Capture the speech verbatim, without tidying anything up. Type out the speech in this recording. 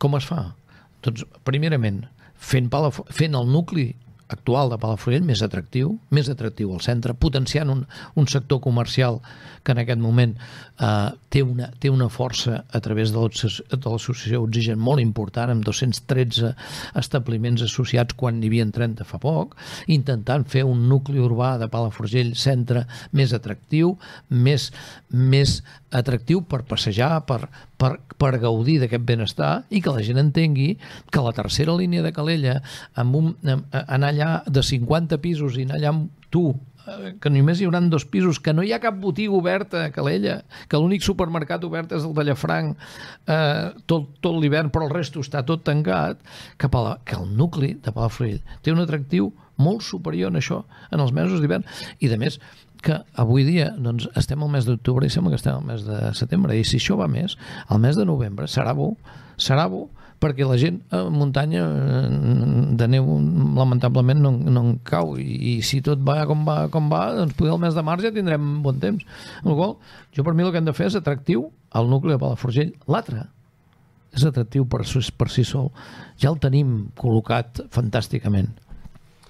Com es fa? Doncs, primerament, fent, Palaf fent el nucli actual de Palafrugell més atractiu, més atractiu al centre, potenciant un, un sector comercial que en aquest moment eh, té, una, té una força a través de l'associació Oxigen molt important, amb dos-cents tretze establiments associats quan n'hi havia trenta fa poc, intentant fer un nucli urbà de Palafrugell centre més atractiu, més, més atractiu per passejar, per, per, per gaudir d'aquest benestar i que la gent entengui que la tercera línia de Calella, amb un, amb, anar allà de cinquanta pisos i anar allà amb tu, que només hi haurà dos pisos, que no hi ha cap botiga oberta a Calella, que l'únic supermercat obert és el de Llafranc eh, tot, tot l'hivern, però el resto està tot tancat, que, la, que el nucli de Palafrugell té un atractiu molt superior en això, en els mesos d'hivern, i de més que avui dia doncs, estem al mes d'octubre i sembla que estem al mes de setembre, i si això va més, el mes de novembre serà bo, serà bo, perquè la gent a muntanya de neu lamentablement no, no en cau, i, i si tot va com va, com va, doncs potser el mes de març ja tindrem bon temps. Amb la qual cosa, jo per mi el que hem de fer és atractiu al nucli de Palafrugell. L'altre és atractiu per, per si sol. Ja el tenim col·locat fantàsticament.